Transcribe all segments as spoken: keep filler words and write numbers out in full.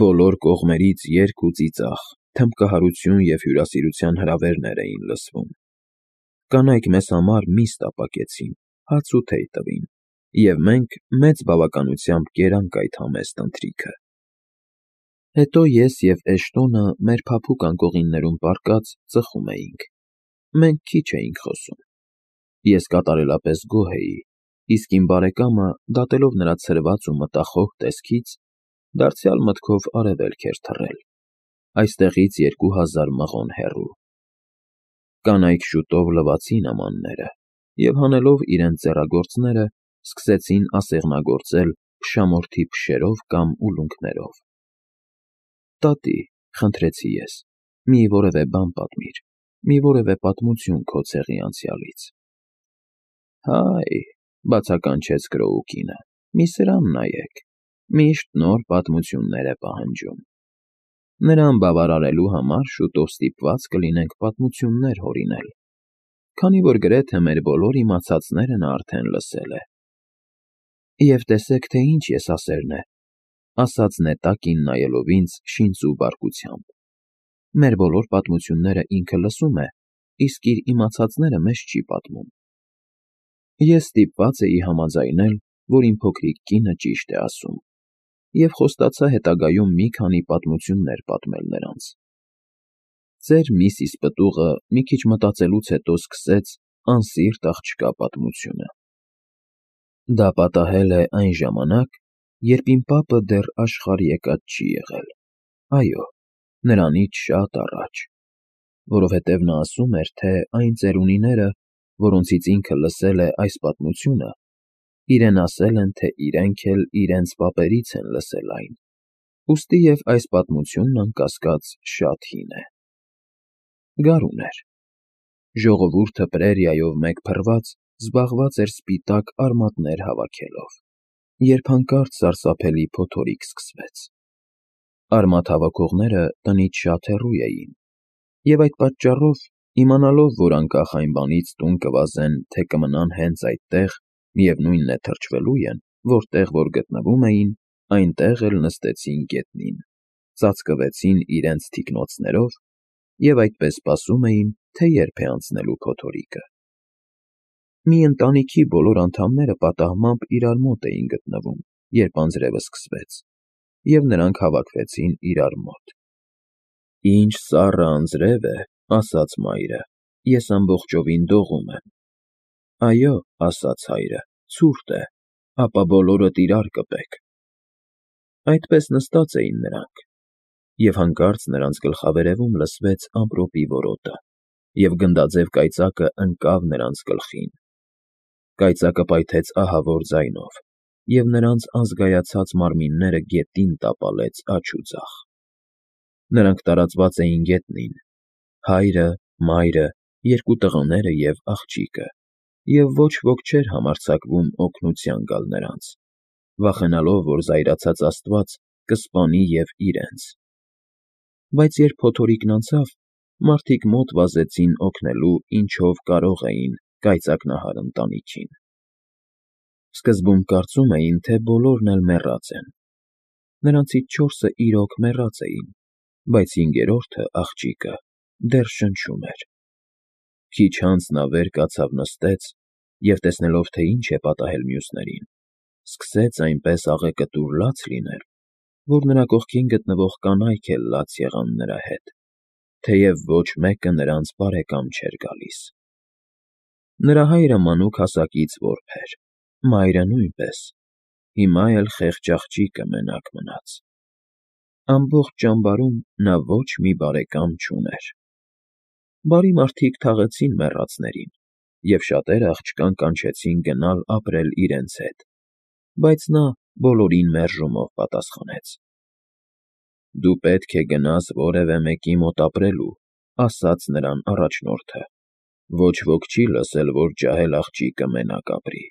Բոլոր կողմերից երգ ու ծիծաղ, թմբկահարություն և հյուրասիրության հրավերներ էին լսվում. կանայք մեզ համար միս տապակեցին, հաց ու թեյ տվին, և մենք մեծ բավականությամբ կերանք այդ համեստ ընթրիքը։ Հետո ես և Էշտոնը մեր փափուկ անկողիններում պառկած ծխում էինք. մենք քիչ էինք խոսում։ Ես կատարելապես գոհ էի, իսկ իմ բարեկամը, դատելով նրա ցրված ու մտախոհ տեսքից, դարձյալ մտքով արևելք էր թռել, այստեղից երկու հազար մղոն հեռու։ Կանայք շուտով լվացին ամանները և, հանելով իրենց ձեռագործները, սկսեցին ասեղնագործել փշամորթի փշերով կամ ուլունքներով։ «Տատի, ֊ խնդրեցի ես, ֊ մի որևէ բան պատմիր, մի որևէ պատմություն քո ցեղի անցյալից»։ «Հայ, ֊ բացականչեց Քրոուկինը, ֊ մի սրան նայեք, միշտ նոր պատմություններ է պահանջում։ Նրան բավարարելու համար շուտով ստիպված կլինենք պատմություններ հորինել, քանի որ գրեթե մեր բոլոր իմացածները նա արդեն լսել է»։ «Եվ տեսեք, թե ինչ եսասերն է, ֊ ասաց նետակին նայելով ինձ շինծու բարկությամբ, ֊ մեր բոլոր պատմությունները ինքը լսում է, իսկ իր իմացածները մեզ չի պատմում»։ Ես ստիպված էի համաձայնել, որ իմ փոքրիկ կինը ճիշտ է ասում, և խոստացա հետագայում մի քանի պատմություններ պատմել նրանց։ Ծեր Միսիս պտուղը մի քիչ մտածելուց հետո սկսեց անսիրտ աղջկա պատմությունը։ Դա պատահել է այն ժամանակ, երբ իմ պապը դեռ աշխարհ եկած չի եղել, այո, նրանից շատ առաջ, որովհետև նա ասում էր, թե այն ծերունիները, որոնցից ինքը լսել է այս պատմությունը, իրեն ասել են, թե իրենք էլ իրենց պապերից են լսել այն, ուստի և այս պատմությունն, անկասկած, շատ հին է։ Գարուն էր։ Ժողովուրդը պրերիայով մեկ փռված զբաղված էր սպիտակ արմատներ հավաքելով, երբ հանկարծ սարսափելի փոթորիկ սկսվեց։ Արմատ հավաքողները տնից շատ հեռու էին, և այդ պատճառով, իմանալով, որ անկախ այն բանից տուն կվազեն, թե կմնան հենց այդտեղ, միևնույն է թրջվելու են, որտեղ որ գտնվում էին, այնտեղ էլ նստեցին գետնին, ծածկվեցին իրենց թիկնոցներով և այդպես սպասում էին, թե երբ է անցնելու փոթորիկը։ Մի ընտանիքի բոլոր անդամները պատահմամբ իրար մոտ էին գտնվում, երբ անձրևը սկսվեց, և նրանք հավաքվեցին իրար մոտ։ «Ինչ սառը անձրև է, ֊ ասաց մայրը, ֊ ես ամբողջովին դողում եմ»։ «Այո, ֊ ասաց հայրը, ֊ ցուրտ է, ապա բոլորդ իրար կպեք»։ Այդպես նստած էին նրանք, և հանկարծ նրանց գլխավերևում լսվեց ամպրոպի որոտը, և գնդաձև կայծակը ընկավ նրանց գլխին։ Կայծակը պայթեց ահավոր ձայնով, և նրանց անզգայացած մարմինները գետին տապալեց աջ ու ձախ։ Նրանք տարածված էին գետնին՝ հայրը, մայրը, երկու տղաները և աղջիկը, և ոչ ոք չէր համարձակվում օգնության գալ նրանց, վախենալով, որ զայրացած աստված կսպանի և իրենց։ Բայց երբ փոթորիկն անցավ, մարդիկ մոտ վազեցին օգնելու, ինչով կարող էին, կայծակնահար ընտանիքին։ Սկզբում կարծում էին, թե բոլորն էլ մեռած են։ Նրանցից չորսը իրոք մեռած էին, բայց հինգերորդը՝ աղջիկը, դեռ շնչում էր։ Քիչ անց նա վեր կացավ նստեց և, տեսնելով, թե ինչ է պատահել մյուսներին, սկսեց այնպես աղեկտուր լաց լինել, որ նրա կողքին գտնվող կանայք էլ լաց եղան նրա հետ, թեև ոչ մեկը նրանց բարեկամ չէր գալիս։ Նրա հայրը մանուկ հասակից որբ էր, մայրը նույնպես, հիմա էլ խեղճ աղջիկը մենակ մնաց։ Ամբողջ ճամբարում նա ոչ մի բարեկամ չուներ։ Բարի մարդիկ թաղեցին մեռածներին, և շատերը աղջկան կանչեցին գնալ ապրել իրենց հետ, բայց նա բոլորին մերժումով պատասխանեց։ «Դու պետք է գնաս որևէ մեկի մոտ ապրելու, ֊ ասաց նրան առաջնորդը, ֊ ոչ ոք չի լսել, որ ջահել աղջիկը մենակ ապրի։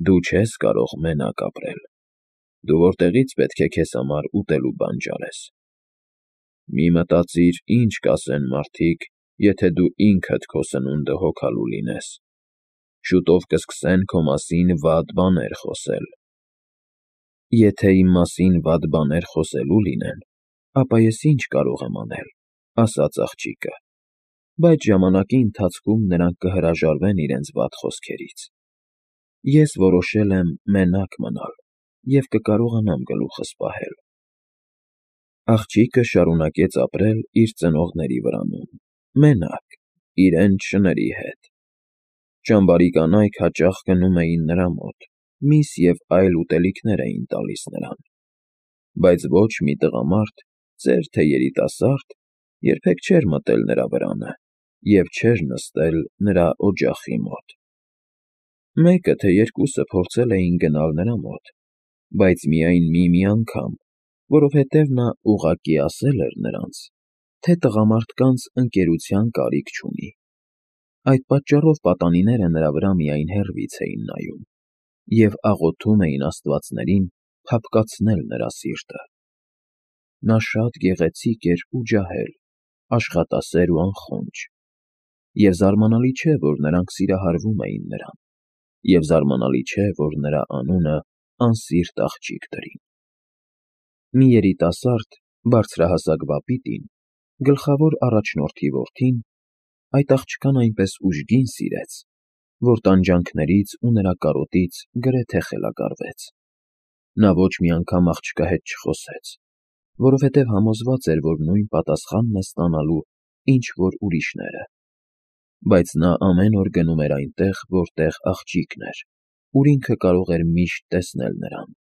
Դու չես կարող մենակ ապրել։ Դու որտեղի՞ց պետք է քեզ համար ուտելու բան ջարես։ Մի մտածիր, ինչ կասեն մարդիկ, եթե դու ինքդ քո սնունդը հոգալու լինես։ Շուտով կսկսեն քո մասին վատ բաներ խոսել»։ Եթե իմ մասին վատ բաներ խոսելու լինեն, ապա ես ինչ կարող եմ անել, ասաց աղջիկը, բայց ժամանակի ընթացքում նրանք կհրաժարվեն իրենց վատ խոսքերից։ Ես որոշել եմ մենակ մնալ և կկարողանամ գլուխս պահել։ Աղջիկը շարունակեց ապրել իր ծնողների վրանում, մենակ, իրենց շների հետ։ Ճամբարի կանայք հաճախ գնում էին նրա մոտ, միս և այլ ուտելիքներ էին տալիս նրան, բայց ոչ մի տղամարդ, ծեր թե երիտասարդ, երբեք չէր մտել նրա վրանը և չէր նստել նրա օջախի մոտ։ Մեկը թե երկուսը փորձել էին գնալ նրա մոտ, բայց միայն մի-մի անգամ, որովհետև նա ուղղակի ասել էր նրանց, թե տղամարդկանց ընկերության կարիք չունի։ Այդ պատճառով պատանիները նրա վրա միայն հեռվից էին նայում և աղոթում էին աստվածներին փափկացնել նրա սիրտը։ Նա շատ գեղեցիկ էր ու ջահել, աշխատասեր ու անխոնջ, և զարմանալի չէ, որ նրանք սիրահարվում էին նրան, և զարմանալի չէ, որ նրա անունը անսիրտ աղջիկ դրին։ Մի երիտասարդ, բարձրահասակ վապիտին, գլխավոր առաջնորդի որդին, այդ աղջկան այնպես ուժգին սիրեց, որ տանջանքներից ու նրա կարոտից գրեթե խելագարվեց։ Նա ոչ մի անգամ աղջկա հետ չխոսեց, որովհետև համոզված էր, որ նույն պատասխանն է ստանալու, ինչ որ ուրիշները, բայց նա ամեն օր գնում էր այնտեղ, որտեղ աղջիկն էր, ուր ինքը կարող էր միշտ տեսնել նրան։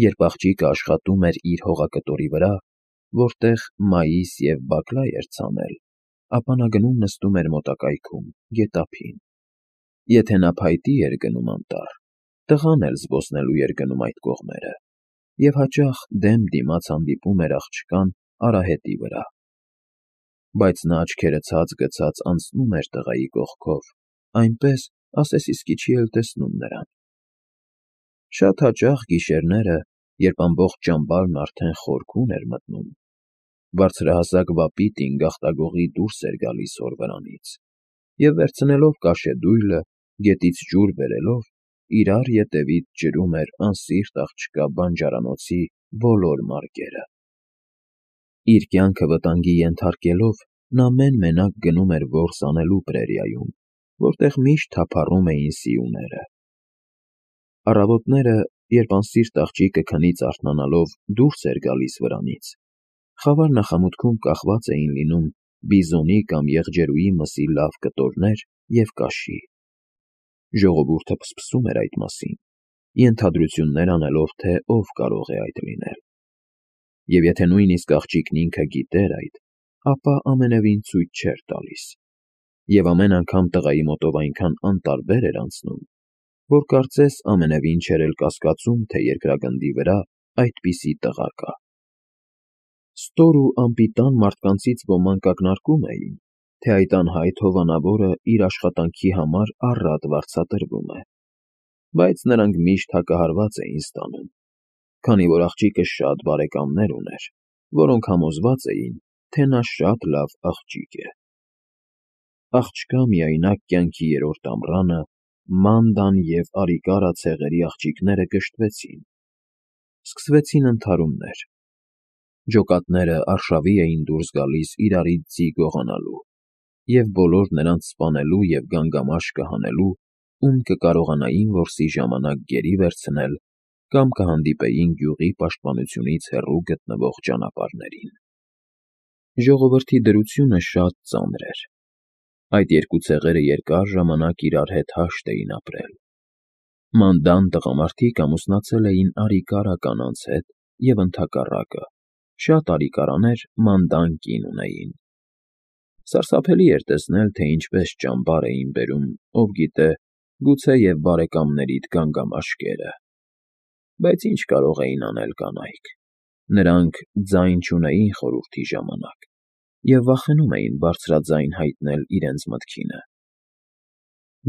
Երբ աղջիկը աշխատում էր իր հողակտորի վրա, որտեղ մայիս և բակլա էր ցանել, ապա նա գնում նստում էր մոտակայքում, գետափին։ Եթե նա փայտի էր գնում անտառ, տղան էլ զբոսնելու էր գնում այդ կողմերը և հաճախ դեմ դիմաց հանդիպում էր աղջկան արահետի վրա։ Բայց նա աչքերը ցած գցած անցնում էր տղայի կողքով, այնպես, ասես իսկի չի էլ տեսնում նրան։ Շատ հաճախ գիշերները, երբ ամբողջ ճամբարն արդեն խորքում էր մտնում, բարձրահասակ վապիտին գաղտագողի դուրս էր գալիս հոր վրանից և, վերցնելով կաշեդույլը, գետից ջուր բերելով, իրար ետևից ջրում էր անսիրտ աղջկա բանջարանոցի բոլոր մարկերը։ Իր կյանքը վտանգի ենթարկելով, նա մեն֊մենակ գնում էր որս անելու պրերիայում, որտեղ միշտ թափառում էին սիուները։ Առավոտները, երբ անսիրտ աղջիկը քնից արթնանալով դուրս էր գալիս վրանից, խավար նախամուտքում կախված էին լինում բիզոնի կամ եղջերուի մսի լավ կտորներ և կաշի։ Ժողովուրդը փսփսում էր այդ մասին, ենթադրություններ անելով, թե ով կարող է այդ լինել։ Եվ եթե նույնիսկ աղջիկն ինքը գիտեր այդ, ապա ամենևին ցույց չէր տալիս, և ամեն անգամ տղայի մոտով այնքան անտարբեր էր անցնում, որ կարծես ամենևին չէր էլ կասկածում, թե երկրագնդի վրա այդպիսի տղա կա։ Ստոր ու անպիտան մարդկանցից ոմանք ակնարկում էին, թե այդ անհայտ հովանավորը իր աշխատանքի համար առատ վարձատրվում է, բայց նրանք միշտ հակահարված էին ստանում, քանի որ աղջիկը շատ բարեկամներ ուներ, որոնք համոզված էին, թե նա շատ լավ աղջիկ է։ Աղջկա միայնակ կյանքի երրորդ ամռանը Մանդան և Արիկարա ցեղերի աղջիկները կշտվեցին։ Սկսվեցին ընդհարումներ։ Ջոկատները արշավի էին դուրս գալիս իրարից ձի գողանալու, և բոլոր նրանց սպանելու և գանգամաշկը հանելու, ում կկարողանային որսի ժամանակ գերի վերցնել կամ կհանդիպեին գյուղի պաշտպանությունից հեռու գտնվող ճանապարհներին։ Ժողովրդի դրությունը շատ ծանր էր։ Այդ երկու ցեղերը երկար ժամանակ իրար հետ հաշտ էին ապրել։ Մանդան տղամարդիկ ամուսնացել էին Արիկարա կանանց հետ և ընդհակառակը, շատ Արիկարաներ Մանդան կին ունեին։ Սարսափելի էր տեսնել, թե ինչպես ճամբար էին բերում, ով գիտե, գուցեև բարեկամներիդ գանգամաշկերը։ Բայց ինչ կարող էին անել կանայք։ Նրանք ձայն չունեին խորհրդի ժամանակ և վախենում էին բարձրաձայն հայտնել իրենց մտքինը։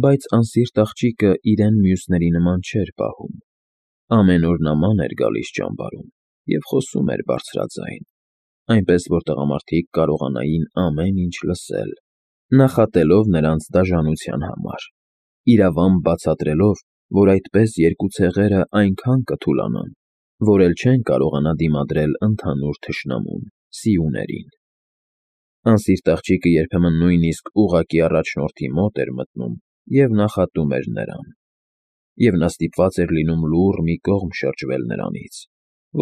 Բայց անսիրտ աղջիկը իրեն մյուսների նման չէր պահում։ Ամեն օր նման էր գալիս ճամբարում և խոսում էր բարձրաձայն, այնպես որ տղամարդիկ կարողանային ամեն ինչ լսել, նախատելով նրանց դաժանության համար, իրավամբ բացատրելով, որ այդպես երկու ցեղերը այնքան կթուլանան, որ էլ չեն կարողանա դիմադրել ընդհանուր թշնամուն՝ սիուներին։ Անսիրտ աղջիկը երբեմն նույնիսկ ուղղակի առաջնորդի մոտ էր մտնում և նախատում էր նրան, և նա ստիպված էր լինում լուռ մի կողմ շրջվել նրանից,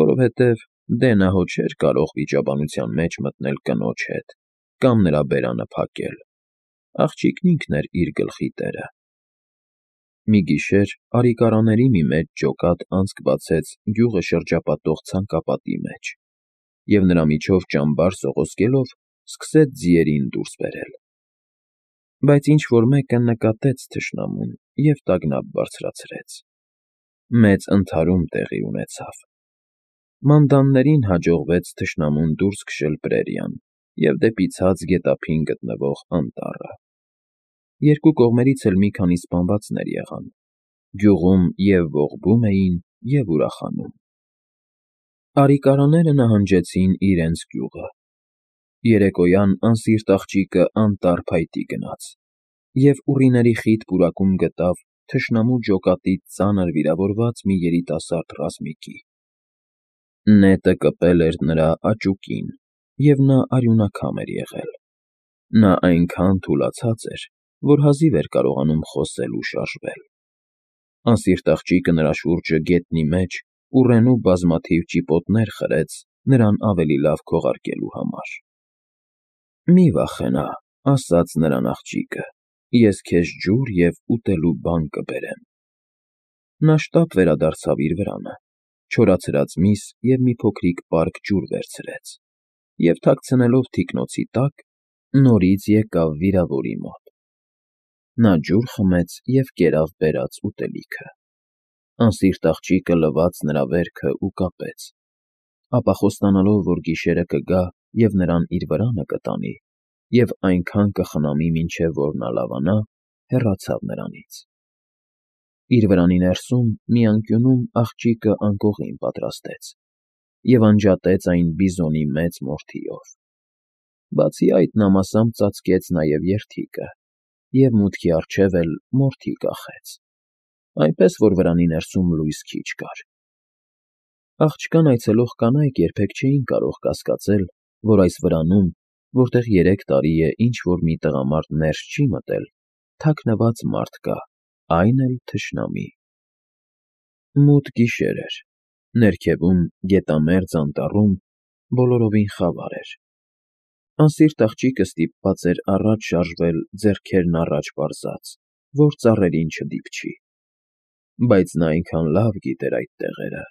որովհետև դե նա հո չէր կարող վիճաբանության մեջ մտնել կնոջ հետ կամ նրա բերանը փակել, աղջիկն ինքն էր իր գլխի տերը։ Մի գիշեր արիկարաների մի մեծ ջոկատ անցք բացեց գյուղը շրջապատող ցանկապատի մեջ և նրա միջով ճամբար սողոսկելով սկսեց ձիերին դուրս բերել։ Բայց ինչ֊որ մեկը նկատեց թշնամուն և տագնապ բարձրացրեց։ Մեծ ընդհարում տեղի ունեցավ։ Մանդաններին հաջողվեց թշնամուն դուրս քշել պրերիան և դեպի ցած գետափին գտնվող անտառը։ Երկու կողմերից էլ մի քանի սպանվածներ եղան, գյուղում և՛ ողբում էին, և՛ ուրախանում։ Արիկարաները նահանջեցին իրենց գյուղը։ Երեկոյան անսիրտ աղջիկը անտառ փայտի գնաց և ուռիների խիտ պուրակում գտավ թշնամու ջոկատից ծանր վիրավորված մի երիտասարդ ռազմիկի։ Նետը կպել էր նրա աճուկին, և նա արյունաքամ էր եղել։ Նա այնքան թուլացած էր, որ հազիվ էր կարողանում խոսել ու շարժվել։ Անսիրտ աղջիկը նրա շուրջը գետնի մեջ ուռենու բազմաթիվ ճիպոտներ խրեց նրան ավելի լավ քողարկելու համար։ «Մի վախենա,֊ ասաց նրան աղջիկը,֊ ես քեզ ջուր և ուտելու բան կբերեմ»։ Նա շտապ վերադարձավ իր վրանը, չորացրած միս և մի փոքրիկ պարկ ջուր վերցրեց և, թաքցնելով թիկնոցի տակ, նորից եկավ վիրավորի մոտ։ Նա ջուր խմեց և կերավ բերած ուտելիքը։ Անսիրտ աղջիկը լվաց նրա վերքը ու կապեց, ապա խոստանալով, որ գիշերը կգա և նրան իր վրանը կտանի և այնքան կխնամի, մինչև որ նա լավանա, հեռացավ նրանից։ Իր վրանի ներսում մի անկյունում աղջիկը անկողին պատրաստեց և անջատեց այն բիզոնի մեծ մորթիով։ Բացի այդ, նա մասամբ ծածկեց նաև երդիկը և մուտքի առջև էլ մորթի կախեց, այնպես որ վրանի ներսում լույս քիչ կար։ Աղջկան այցելող կանայք երբեք չէին կարող կասկածել, որ այս վրանում, որտեղ երեք տարի է ինչ֊որ մի տղամարդ ներս չի մտել, թաքնված մարդ կա, այն էլ թշնամի։ Մութ գիշեր էր։ Ներքևում, գետամերձ անտառում բոլորովին խավար էր։ Անսիրտ աղջիկը ստիպված էր առաջ շարժվել ձեռքերն առաջ պարզած, որ ծառերին չդիպչի։ Բայց նա այնքան լավ գիտեր այդ տեղերը,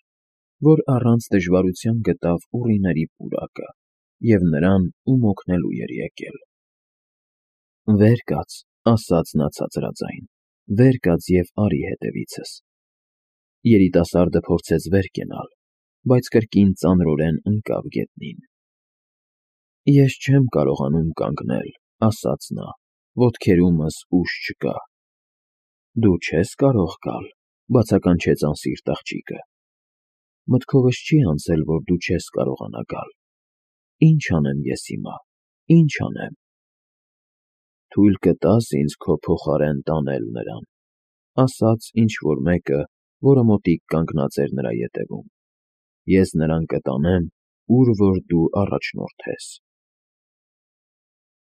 որ առանց դժվարության գտավ ուռիների պուրակը և նրան, ում օգնելու էր եկել։ «Վեր կաց,֊ ասաց նա ցածրաձայն,֊ վեր կաց և արի հետևիցս»։ Երիտասարդը փորձեց վեր կենալ, բայց կրկին ծանրորեն ընկավ գետնին։ «Ես չեմ կարողանում կանգնել,֊ ասաց նա,֊ ոտքերումս ուժ չկա»։ «Դու չես կարող գալ,֊ բացականչեց անսիրտ աղջիկը։ «Մտքովս չի անցել, որ դու չես կարողանա գալ։ Ի՞նչ անեմ ես հիմա, ի՞նչ անեմ»։ «Թույլ կտա՞ս ինձ քո փոխարեն տանել նրան,֊ ասաց ինչ֊որ մեկը, որը մոտիկ կանգնած էր նրա ետևում։ «Ես նրան կտանեմ, ուր որ դու առաջնորդես»։